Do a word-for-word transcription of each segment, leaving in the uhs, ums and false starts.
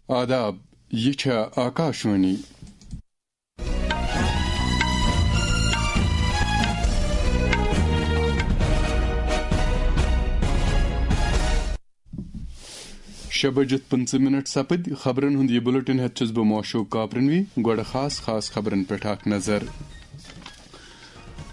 آداب، یہِ چھےٚ آکاشوانی۔ شےٚ بجِتھ پٕنٛژٕہ منٹ سپٕدۍ۔ خبرن ہُنٛد یہِ بُلٹن ہٮ۪تھ چھُس بہٕ موشوق کاپرنوی۔ گۄڈٕ خاص خاص خبرن پٮ۪ٹھ اکھ نظر۔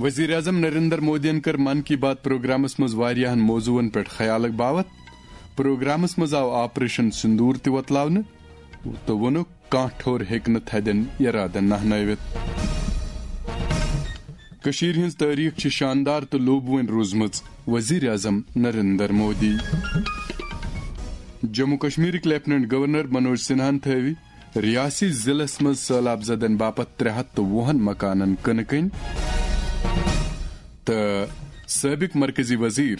وزیر اعظم نریندر مودیَن کٔر من کی بات پروگرامس منٛز واریاہن موضوعن پٮ۪ٹھ خیالٕک باوت۔ پروگرامس منٛز آو آپریشن سندور تہِ وۄتلاونہٕ تہٕ ووٚنُکھ، کانٛہہ ٹھوٚر ہیٚکہِ نہٕ تھدٮ۪ن ارادن نہنٲوِتھ۔ کٔشیٖرِ ہٕنٛز تٲریٖخ چھِ شاندار تہٕ لوٗبوٕنۍ روٗزمٕژ، وزیر اعظم نریندر مودی۔ جموں کشمیرٕکۍ لیفٹیننٹ گورنر منوج سنہاہن تھٲوِ ریاسی ضلعس منٛز سٔہلاب زدن باپتھ ترٛےٚ ہتھ تہٕ وُہن مکانن کٕنہٕ کٔنۍ تہٕ سٲبق مرکزی وزیر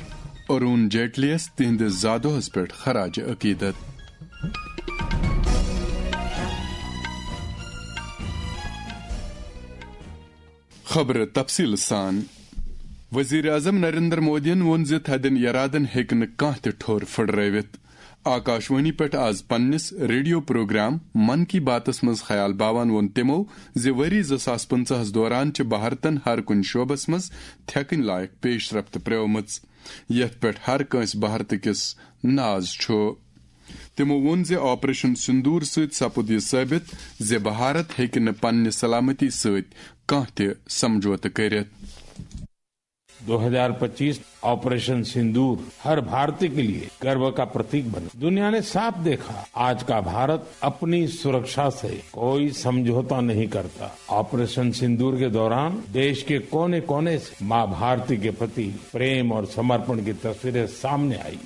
ارون جیٹلیَس تِہنٛدِس زادوہس پٮ۪ٹھ خراج عقیدت۔ خبرٕ تفصیٖل سان۔ وزیر اعظم نریندر مودیَن ووٚن زِ تھدٮ۪ن ارادن ہیٚکہِ نہٕ کانٛہہ تہِ ٹھوٚر پھٕٹرٲوِتھ۔ آکاشوانی پٮ۪ٹھ آز پننِس ریڈیو پروگرام من کی باتس منٛز خیال باوان ووٚن تِمو زِ ؤری زٕ ساس پٕنٛژٕہس دوران چھِ بھارتن ہر کُنہِ شعبس منٛز تھٮ۪کٕنۍ لایق پیش رفت پرٛٲومٕژ، یتھ پٮ۪ٹھ ہر کٲنٛسہِ بھارتہٕ کِس ناز چھُ۔ تِمو ووٚن زِ آپریشن سندور سۭتۍ سپُد یہِ ثٲبت زِ بھارت ہیٚکہِ نہٕ پننہِ سلامتی سۭتۍ کانٛہہ تہِ سمجھوتہٕ کٔرِتھ۔ دو ہزار پچیس آپریشن سندور ہر بھارتی کے لیے گرو کا پرتیک بنا۔ دنیا نے صاف دیکھا، آج کا بھارت اپنی سرکشا سے کوئی سمجھوتا نہیں کرتا۔ آپریشن سندور کے دوران دیش کے کونے کونے سے ماں بھارتی کے پرتی پریم اور سمرپن کی تصویریں سامنے آئی۔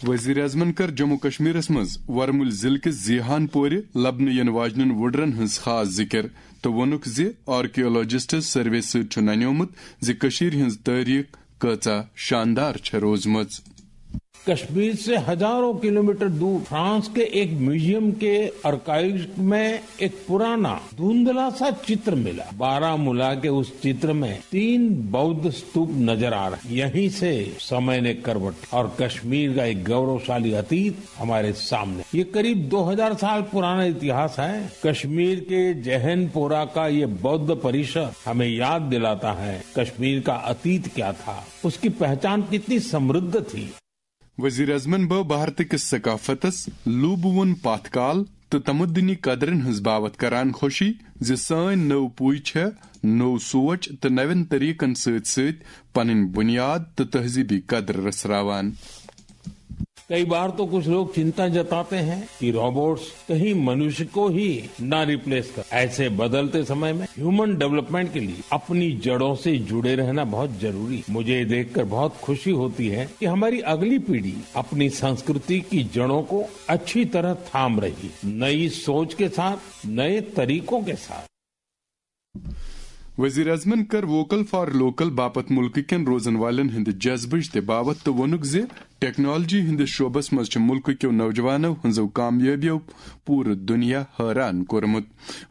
وزیر اعظمن کٔر جموں کشمیرس منٛز ورمُلۍ ضلعہٕ کِس زیہان پورِ لبنہٕ یِنہٕ واجنٮ۪ن وُڈرن ہٕنٛز خاص ذِکر تہٕ ووٚنُکھ زِ آرکیولوجسٹ سروے سۭتۍ چھُ ننیومُت زِ کٔشیٖرِ ہٕنٛز تٲریٖخ کۭژاہ شاندار چھےٚ روٗزمٕژ۔ کشمیر سے ہزاروں کلومیٹر دور فرانس کے ایک میوزیم کے آرکائیوز میں ایک پرانا دھندلا سا چتر ملا۔ بارہ ملا کے اس چتر میں تین بودھ ستوپ نظر آ رہے ہیں۔ یہیں سے سمے نے کروٹ اور کشمیر کا ایک گورو شالی اتیت ہمارے سامنے۔ یہ قریب دو ہزار سال پرانا اتہاس ہے۔ کشمیر کے جہن پورا کا یہ بودھ پریشد ہمیں یاد دلاتا ہے کشمیر کا اتیت کیا تھا، اس کی پہچان کتنی سمردھ تھی۔ وزیر اعظمن بٲو بھارتہٕ کِس ثقافتس، لوٗبہٕ وُن پتھ کال تہٕ تمدنی قدرن ہٕنٛز باوتھ کران خوشی زِ سٲنۍ نٔو پُے چھےٚ نوٚو سونچ تہٕ نوٮ۪ن طریقن سۭتۍ سۭتۍ پنٕنۍ بُنیاد تہٕ تہذیبی قدر رژھراوان۔ کئی بار تو کچھ لوگ چنتا جتاتے ہیں کہ روبوٹس کہیں منوش کو ہی نہ ریپلیس کر۔ ایسے بدلتے سمے میں ہیومن ڈیولپمنٹ کے لیے اپنی جڑوں سے جڑے رہنا بہت ضروری ہے۔ مجھے یہ دیکھ کر بہت خوشی ہوتی ہے کہ ہماری اگلی پیڑھی اپنی سنسکرتی کی جڑوں کو اچھی طرح تھام رہی، نئی سوچ کے ساتھ، نئے طریقوں کے ساتھ۔ وزیر اعظمن کٔر ووکل فار لوکل باپتھ مُلکہٕ کٮ۪ن روزن والٮ۪ن ہٕنٛدِ جذبٕچ تہِ باوتھ تہٕ ووٚنُکھ زِ ٹیکنالوجی ہٕنٛدِس شعبس منٛز چھِ مُلکہٕ کیو نوجوانو ہٕنٛزو کامیٲبیو پوٗرٕ دُنیا حٲران کوٚرمُت۔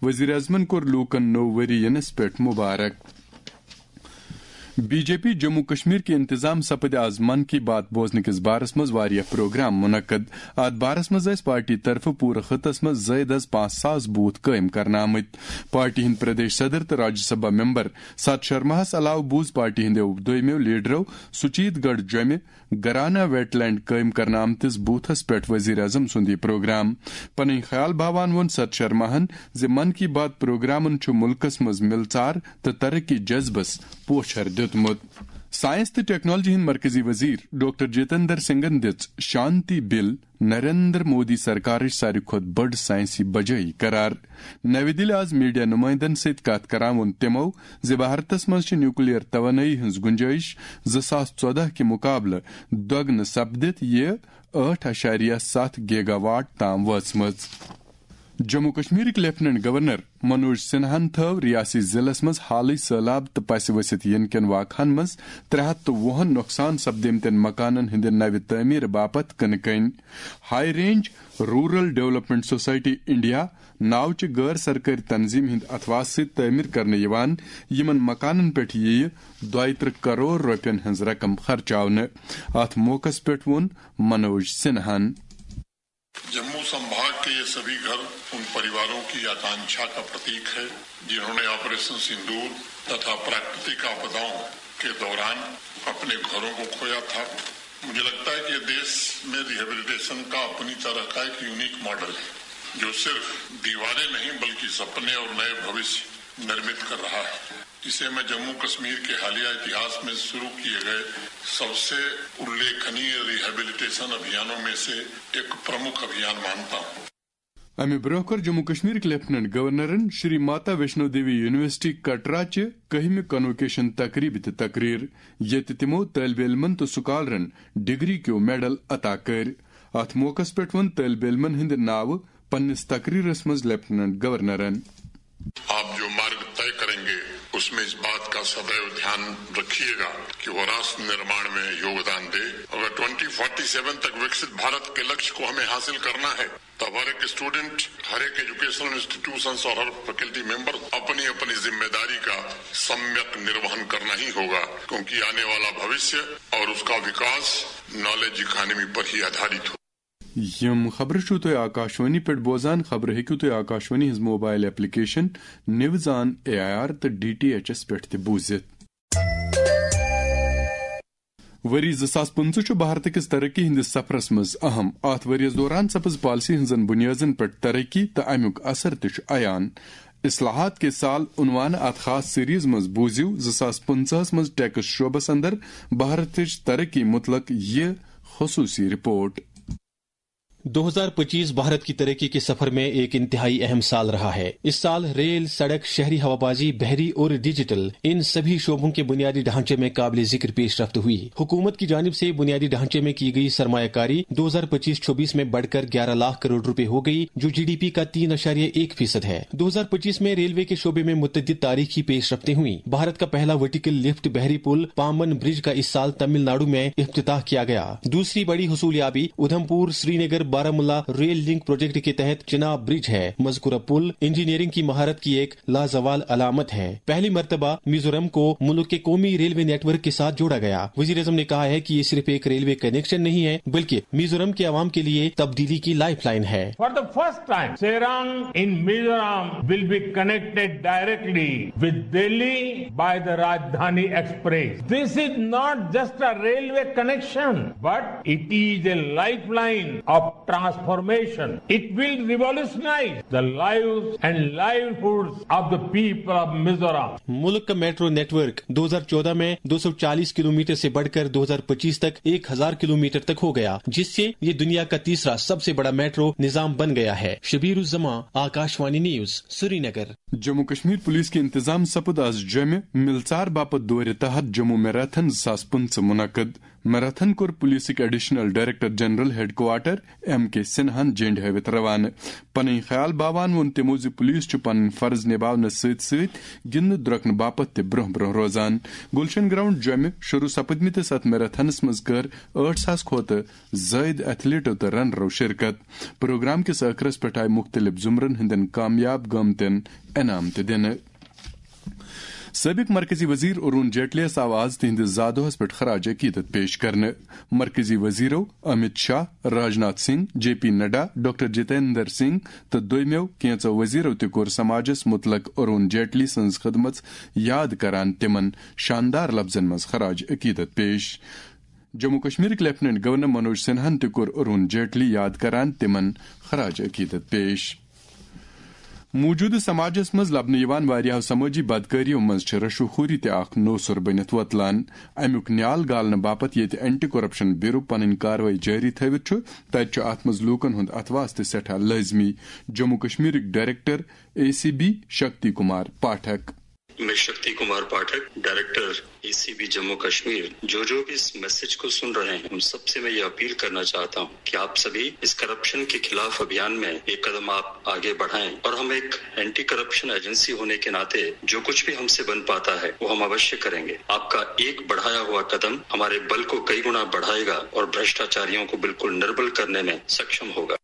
وزیر اعظمن کوٚر لوٗکن نوٚو ؤری ینس پٮ۪ٹھ مُبارک۔ B J P Jammu Kashmir کہِ انتظام سپٕدۍ آز من کی بات بوزنہٕ کِس بارس منٛز واریاہ پروگرام منعقد۔ اتھ بارس منٛز ٲسۍ پارٹی طرفہٕ پوٗرٕ خطس منٛز زٲیِد از پانٛژھ ساس بوتھ قٲیِم کرنہٕ آمٕتۍ۔ پارٹی ہٕنٛدۍ پردیش صدر تہٕ راجیہ سبھا ممبر ست شرماہس علاوٕ بوٗز پارٹی ہٕنٛدیو دویمٮ۪و لیڈرو سُچیت گڑھ جوٚمہِ گرانا ویٹ لینڈ قٲیِم کرنہٕ آمتِس بوتھس پٮ۪ٹھ وزیر اعظم سُنٛد یہِ پروگرام۔ پنٕنۍ خیال باوان ووٚن ست شرماہن زِ من کی بات پروگرامن چھُ مُلکس منٛز مِلژار تہٕ ترقی جذبس پوچھر دیُتمُت۔ ساینس تہٕ ٹیکنالوجی ہٕنٛدۍ مرکزی وزیر ڈاکٹر جتندر سنگھن دِژ شانتی بل نریندر مودی سرکارٕچ ساروی کھۄتہٕ بٔڑ ساینسی بجٲیی قرار۔ نَوِ دِلہِ آز میڈیا نُمٲیندن سۭتۍ کتھ کران ووٚن تِمو زِ بھارتس منٛز چھِ نیوکلیئر توانٲیی ہٕنٛز گُنجٲیش زٕ ساس ژۄدہ کہِ مُقابلہٕ دۄگنہٕ سپدِتھ یہِ ٲٹھ اَشاریہ ستھ گیگا واٹ تام وٲژمٕژ۔ جموں کشمیرٕکۍ لیفٹیننٹ گورنر منوج سنہاہن تھٲو ریاسی ضلعس منٛز حالٕے سٔہلاب تہٕ پسہِ ؤسِتھ یِنہٕ کٮ۪ن واقعن منٛز ترٛےٚ ہتھ تہٕ وُہن نۄقصان سپدیمتٮ۪ن مکانن ہٕنٛدِ نوِ تعمیرٕ باپتھ کٕنہٕ کٔنۍ۔ High range rural development society India ناو چہِ غٲر سرکٲرۍ تنظیمہِ ہٕنٛدِ اتھواسہٕ سۭتۍ تعمیٖر کرنہٕ یِوان یِمن مکانن پٮ۪ٹھ یِیہِ دۄیہِ ترٕٛہ کرور رۄپین ہٕنٛز رقم خرچاونہٕ۔ اتھ موقعس پٮ۪ٹھ ووٚن منوج سنہاہن۔ जम्मू संभाग के ये सभी घर उन परिवारों की आकांक्षा का प्रतीक है, जिन्होंने ऑपरेशन सिंदूर तथा प्राकृतिक आपदाओं के दौरान अपने घरों को खोया था। मुझे लगता है कि ये देश में रिहेबिलिटेशन का अपनी तरह का एक यूनिक मॉडल है, जो सिर्फ दीवारें नहीं, बल्कि सपने और नए भविष्य निर्मित कर रहा है। इसे मैं जम्मू कश्मीर के हालिया इतिहास में शुरू किए गए सबसे उल्लेखनीय रिहेबिलिटेशन अभियानों में से एक प्रमुख अभियान मानता हूँ। امہِ برونٛہہ کٔر جموں کشمیرٕکۍ لیفٹیننٹ گورنرن شری ماتا ویشنو دیوی یونیورسٹی کٹرا چہِ کٔہمہِ کنووکیشن تقریبہِ تہِ تقریر، ییٚتہِ تِمو طٲلبہِ علمن تہٕ سکالرن ڈگری کیو میڈل عطا کٔرۍ۔ اتھ موقعس پٮ۪ٹھ ووٚن طٲلبہِ علمن ہٕنٛدِ ناوٕ پننِس تقریرس منٛز لیفٹیننٹ گورنرن۔ आप जो मार्ग तय करेंगे, उसमें इस बात का सदैव ध्यान रखिएगा कि वो राष्ट्र निर्माण में योगदान दे। अगर ट्वेंटी फोर्टी सेवन तक विकसित भारत के लक्ष्य को हमें हासिल करना है, तब हर एक स्टूडेंट, हर एक एजुकेशनल इंस्टीट्यूशंस और हर फैकल्टी मेंबर अपनी अपनी जिम्मेदारी का सम्यक निर्वहन करना ही होगा, क्योंकि आने वाला भविष्य और उसका विकास नॉलेज इकोनॉमी पर ही आधारित हो। یِم خبرٕ چھِو تُہۍ آکاشوانی پٮ۪ٹھ بوزان۔ خبرٕ ہیٚکِو تُہۍ آکاشوانی ہٕنٛز mobile application news on A I R تہٕ ڈی ٹی ایچ ایس پٮ۪ٹھ تہِ بوٗزِتھ۔ ؤری زٕ ساس پٕنٛژٕہ چھُ بھارتہٕ کِس ترقی ہٕنٛدِس سفرس منٛز اہم۔ اتھ ؤرۍ یَس دوران سپٕز پالیسی ہٕنٛزن بُنیٲدن پٮ۪ٹھ ترقی تہٕ امیُک اثر تہِ چھُ عیان۔ اصلاحات کے سال عنوان اتھ خاص سیریز منٛز بوٗزِو زٕ ساس پٕنٛژٕہس منٛز ٹیکس شعبس اندر بھارتٕچ ترقی متعلق یہِ خصوٗصی رپورٹ۔ دو ہزار پچیس بھارت کی ترقی کے سفر میں ایک انتہائی اہم سال رہا ہے۔ اس سال ریل، سڑک، شہری ہوابازی، بحری اور ڈیجیٹل، ان سبھی شعبوں کے بنیادی ڈھانچے میں قابل ذکر پیش رفت ہوئی۔ حکومت کی جانب سے بنیادی ڈھانچے میں کی گئی سرمایہ کاری دو ہزار پچیس چھبیس میں بڑھ کر گیارہ لاکھ کروڑ روپے ہو گئی، جو جی ڈی پی کا تین اعشاریہ ایک فیصد ہے۔ دو ہزار پچیس میں ریلوے کے شعبے میں متعدد تاریخی پیش رفتیں ہوئیں۔ بھارت کا پہلا ورٹیکل لفٹ بحری پل پامبن برج کا اس سال تمل ناڈو میں افتتاح کیا گیا۔ دوسری بڑی حصولیابی ادھم پور سری نگر بارہ ملا ریل لنک پروجیکٹ کے تحت چناب برج ہے۔ مذکورہ پل انجینئرنگ کی مہارت کی ایک لازوال علامت ہے۔ پہلی مرتبہ میزورم کو ملک کے قومی ریلوے نیٹ ورک کے ساتھ جوڑا گیا۔ وزیر اعظم نے کہا ہے کہ یہ صرف ایک ریلوے کنیکشن نہیں ہے، بلکہ میزورم کے عوام کے لیے تبدیلی کی لائف لائن ہے۔ For the first time, Serang in Mizoram will be connected directly with Delhi by the Rajdhani Express. This is not just a railway connection, but it is a lifeline of transformation. It will revolutionize the lives and livelihoods of the people of Mizoram. ملک کا metro net work دو ہزار چودہ میں دو سو چالیس kilometre سے بڑھ کر دو ہزار پچیس تک ایک ہزار کلومیٹر تک ہو گیا، جس سے یہ دنیا کا تیسرا سب سے بڑا میٹرو نظام بن گیا ہے۔ شبیر الزمان، آکاشوانی نیوز، سری نگر۔ جموں کشمیر پولیس کے انتظام سپد آز جمع ملژار باپت دورِ تحت جموں میراتھن زٕ ساس پٕنٛژٕہ منعقد۔ میراتھن کوٚر پولیسٕکۍ additional director general headquarters M K سنہاہن جنڈ ہٲوِتھ روانہٕ۔ پنٕنۍ خیال باوان ووٚن تِمو زِ پولیس چھُ پنٕنۍ فرض نِباونس سۭتۍ سۭتۍ گِنٛدنہٕ درۄکنہٕ باپتھ تہِ برونٛہہ برونٛہہ روزان۔ گلشن گراؤنڈ جمہِ شروع سپدمٕتِس اتھ میراتھنس منٛز کٔر ٲٹھ ساس کھۄتہٕ زٲیِد ایتھلیٹو تہٕ رنرو شرکت۔ پروگرام کِس ٲخرس پٮ۪ٹھ آیہِ مُختٔلِف زمرن ہٕنٛدٮ۪ن کامیاب گٲمتٮ۪ن انعام تہِ دِنہٕ۔ سٲبق مرکزی وزیر ارون جیٹلیَس آو آز تِہنٛدِس زا دۄہس پٮ۪ٹھ خراج عقیدت پیش کرنہٕ۔ مرکزی وزیرو Amit Shah, Rajnath Singh, J P Nadda, doctor Jitendra Singh تہٕ دوٚیمٮ۪و کینٛژو وزیرو تہِ کوٚر سماجس متعلق ارون جیٹلی سٕنٛز خدمژ یاد کران تِمن شاندار لفظن منٛز خراج عقیدت پیش۔ جموں کشمیرٕکۍ لیفٹیننٹ گورنر منوج سنہاہن تہِ کوٚر ارون جیٹلی یاد کران تِمن خراج عقیدت پیش۔ موجودٕ سماجس منٛز لبنہٕ یِوان واریاہو سمٲجی بدکٲریو منٛز چھِ رشوٕ خوری تہِ اکھ نوسُر بٔنِتھ وۄتلان۔ امیُک نیال گالنہٕ باپتھ ییٚتہِ اینٹی کرپشن بیورو پنٕنۍ کاروٲیی جٲری تھٲوِتھ چھُ، تتہِ چھُ اتھ منٛز لوٗکن ہُنٛد اتھواس تہِ سٮ۪ٹھاہ لٲزمی۔ جموں کشمیرٕکۍ director A C B Shakti Kumar Pathak. میں Shakti Kumar Pathak, director A C B Jammu Kashmir, جو جو بھی اس میسج کو سن رہے ہیں، ان سب سے میں یہ اپیل کرنا چاہتا ہوں کہ آپ سبھی اس کرپشن کے خلاف ابھیان میں ایک قدم آپ آگے بڑھائیں اور ہم ایک اینٹی کرپشن ایجنسی ہونے کے ناطے جو کچھ بھی ہم سے بن پاتا ہے، وہ ہم اوشیہ کریں گے۔ آپ کا ایک بڑھایا ہوا قدم ہمارے بل کو کئی گنا بڑھائے گا اور بھرشٹاچاریوں کو بالکل نربل کرنے میں سکشم ہوگا۔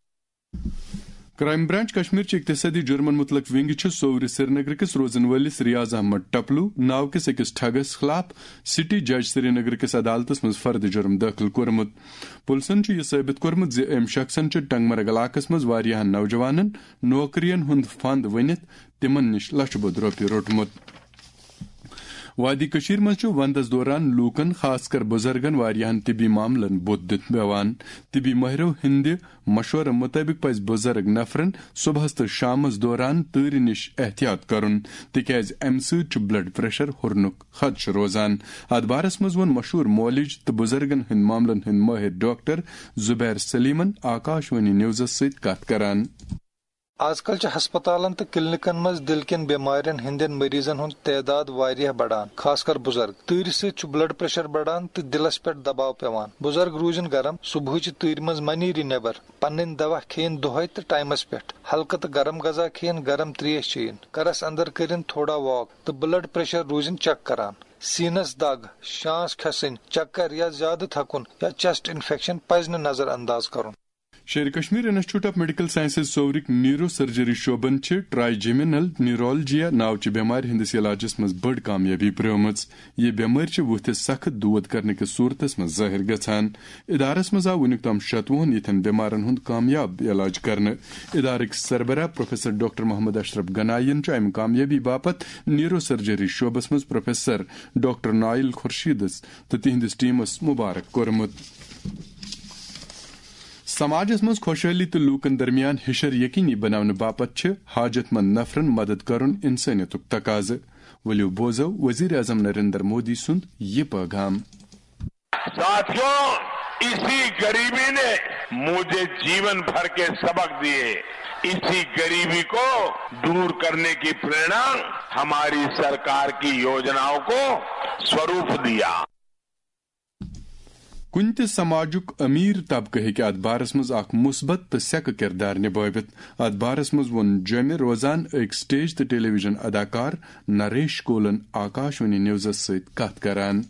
کرائم برانچ کشمیر چہِ اقتصادی جرمن متعلق ونگ چھِ صوورِ سرینگر کِس روزن وٲلِس ریاض احمد ٹپلو ناو کِس أکِس ٹھگس خلاف سٹی جج سرینگر کِس عدالتس منٛز فرد جرم دٲخل کوٚرمُت۔ پُلسن چھُ یہِ ثٲبت کوٚرمُت زِ أمۍ شخصن چھُ ٹنگمرگ علاقس منٛز واریاہن نوجوانن نوکرین ہُنٛد فنڈ ؤنِتھ تِمن نِش لچھٕ بوٚد رۄپیہِ روٚٹمُت۔ وادی کٔشیٖر منٛز چھُ وندس دوران لوٗکن، خاص کر بُزرگن، واریاہن طبی معاملن بُتھ دِتھ پیوان۔ طبی مٲہرو ہٕنٛدِ مشورٕ مُطٲبِق پزِ بُزرگ نفرن صبحس تہٕ شامس دوران تۭرِ نِش احتیاط کرُن، تِکیازِ امہِ سۭتۍ چھُ بلڈ پریشر ہُرنُک خدشہٕ روزان۔ اتھ بارس منٛز ووٚن مشہوٗر مولج تہٕ بُزرگن ہٕنٛدۍ معاملن ہٕنٛدۍ مٲہِر ڈاکٹر زبیر سلیمن آکاش وانی نیوزس سۭتۍ کتھ کران۔ آز کل چھِ ہسپتالن تہٕ کلینکن منٛز دِل کٮ۪ن بٮ۪مارٮ۪ن ہٕنٛدٮ۪ن مریضن ہُنٛد تعداد واریاہ بڑان، خاص کر بُزرگ۔ تۭرِ سۭتۍ چھُ بلڈ پریشر بڑان تہٕ دِلس پٮ۪ٹھ دباو پٮ۪وان۔ بُزرگ روٗزِن گرم، صبحٕچہِ تۭرِ منٛز مہ نیٖرِو نٮ۪بر۔ پنٕنۍ دوا کھیٚیِن دۄہے تہٕ ٹایمس پٮ۪ٹھ۔ ہلکہٕ تہٕ گرم غذا کھیٚیِن، گرم ترٛیش چیٚیِن۔ گرس اندر کٔرِن تھوڑا واک تہٕ بلڈ پریشر روٗزِن چیک کران۔ سینس دگ، شانس کھسٕنۍ، چکر یا زیادٕ تھکُن یا چیسٹ انفیکشن پزِ نہٕ نظر انداز کرُن۔ Sher-e Kashmir institute of medical sciences صوورٕکۍ نیورو سرجری شعبن چھِ ٹرائی جیمینل نیورولجیا ناوچہِ بٮ۪مارِ ہٕنٛدِس علاجس منٛز بٔڑ کامیٲبی پرٛٲومٕژ۔ یہِ بٮ۪مٲرۍ چھِ وُتھِس سخت دود کرنہٕ کِس صورتس منٛز ظٲہِر گژھان۔ ادارس منٛز آو وُنیُک تام شتوُہن یِتھٮ۪ن بٮ۪مارن ہُنٛد کامیاب علاج کرنہٕ۔ ادارٕکۍ سربراہ پروفیسر ڈاکٹر محمد اشرف گناین چھُ امہِ کامیٲبی باپتھ نیورو سرجری شعبس منٛز پروفیسر ڈاکٹر نائل خورشیدس تہٕ تِہنٛدِس ٹیمس مبارک کوٚرمُت۔ سماجس منٛز خۄشحٲلی تہٕ لوٗکن درمیان ہِشر یقینی بناونہٕ باپتھ چھِ حاجت مند نفرن مدد کرُن انسٲنیتُک تقاضہٕ۔ ؤلِو بوزو وزیر اعظم نریندر مودی سُنٛد یہِ پٲغام۔ साथियों, इसी गरीबी ने मुझे जीवन भर के सबक दिए। इसी गरीबी को दूर करने की प्रेरणा हमारी सरकार की योजनाओं को स्वरूप दिया। کُنہِ تہِ سماجُک امیر طبقہٕ ہیٚکہِ اتھ بارس منٛز اکھ مثبت تہٕ سیٚکہٕ کردار نبٲوِتھ۔ اتھ بارس منٛز ووٚن جوٚمہِ روزان أکۍ سٹیج تہٕ ٹیلی ویژن اداکار نریش کولن آکاش وانی نیوزس سۭتۍ کتھ کران۔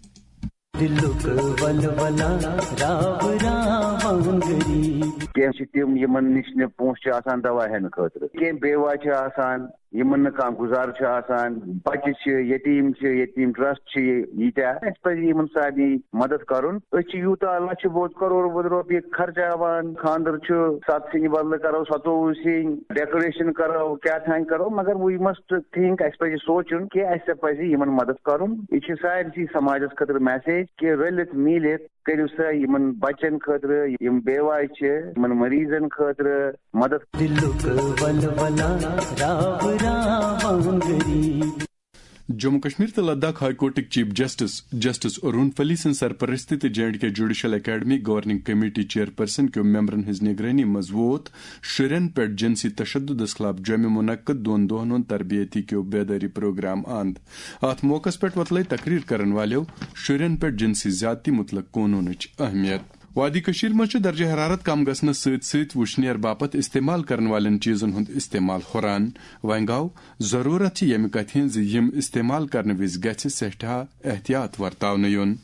دلک ولولہ راو راوان غریب۔ کینٛہہ چھِ تِم یِمن نِش نہٕ پونٛسہٕ چھِ آسان دوا ہٮ۪نہٕ خٲطرٕ، کینٛہہ بیوہ چھِ آسان، یِمن نہٕ کانٛہہ گُزارٕ چھُ آسان، بچہِ چھِ، یتیٖم چھِ، یتیٖم ٹرسٹ چھِ ییٖتیٛاہ۔ اَسہِ پزِ یِمن سارنٕے مدد کرُن۔ أسۍ چھِ یوٗتاہ لچھِ بوٚد کرور بوٚد رۄپیہِ خرچاوان، خانٛدر چھُ ستھ سِنۍ بدلہٕ کرو ستووُہ سِنۍ، ڈیکوریشن کرو، کیٛاہ تام کرو، مگر we must think، اَسہِ پزِ سونٛچُن کہِ اَسہِ پزِ یِمن مدد کرُن۔ یہِ چھِ سارِسٕے سماجس خٲطرٕ میسیج کہِ رٔلِتھ میٖلِتھ کٔرِو سا یِمن بچن خٲطرٕ، یِم بیوہ چھِ، یِمن مریضن خٲطرٕ مدد۔ دلک ولولہ راو راوان غریب۔ جموں کشمیر تہٕ لداخ ہائی کورٹٕکۍ chief justice justice Arun Palli سٕنٛز سرپرستی تہٕ J and K judicial academy governing committee chairperson کیو ممبرن ہٕنٛز نگرٲنی منٛز ووت شُرٮ۪ن پٮ۪ٹھ جنسی تشددس خلاف جوٚمہِ منعقد دۄن دۄہن ہُنٛد تربیتی کیو بیدٲری پروگرام اند۔ اتھ موقعس پٮ۪ٹھ وۄتلٲے تقریر کرن والٮ۪و شُرٮ۪ن پٮ۪ٹھ جنسی زیادتی متعلق قونوٗنٕچ اہمیت۔ وادی کٔشیٖر منٛز چھُ درجہ حرارت کم گژھنس سۭتۍ سۭتۍ وُشنیر باپتھ استعمال کرن والٮ۪ن چیٖزن ہُنٛد استعمال ہُران۔ وۄنۍ گوٚو ضروٗرت چھِ ییٚمہِ کتھِ ہٕنٛز زِ یِم استعمال کرنہٕ وِزِ گژھِ سٮ۪ٹھاہ احتیاط ورتاونہٕ یُن۔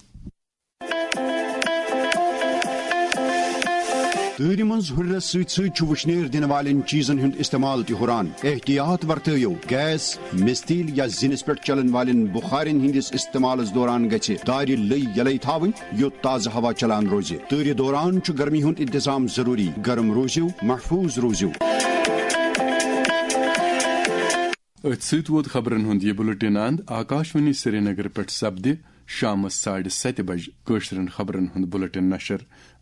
تۭرِ منٛز ہُرنس سۭتۍ سۭتۍ چھُ وُشنیر دِنہٕ والٮ۪ن چیٖزن ہُنٛد استعمال تہِ ہُران۔ احتیاط ورتٲیِو، گیس، مِستیٖل یا زِنِس پٮ۪ٹھ چلن والٮ۪ن بُخارٮ۪ن ہٕنٛدِس استعمالس دوران گژھِ دارِ لٔۍ یلے تھاوٕنۍ، یوٚت تازٕ ہوا چلان روزِ۔ تۭرِ دوران چھُ گرمی ہُنٛد انتظام ضروٗری۔ گرم روٗزِو، محفوٗظ روٗزِو۔ أتھۍ سۭتۍ ووت خبرن ہُنٛد یہِ بُلٹن اند۔ آکاش وانی سرینگر پٮ۪ٹھ سپدِ شامس ساڑِ ستہِ بجہِ کٲشرٮ۪ن خبرن ہُنٛد بُلٹن نشر۔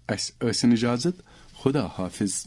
اسہِ ٲسِن اجازت۔ خدا حافظ۔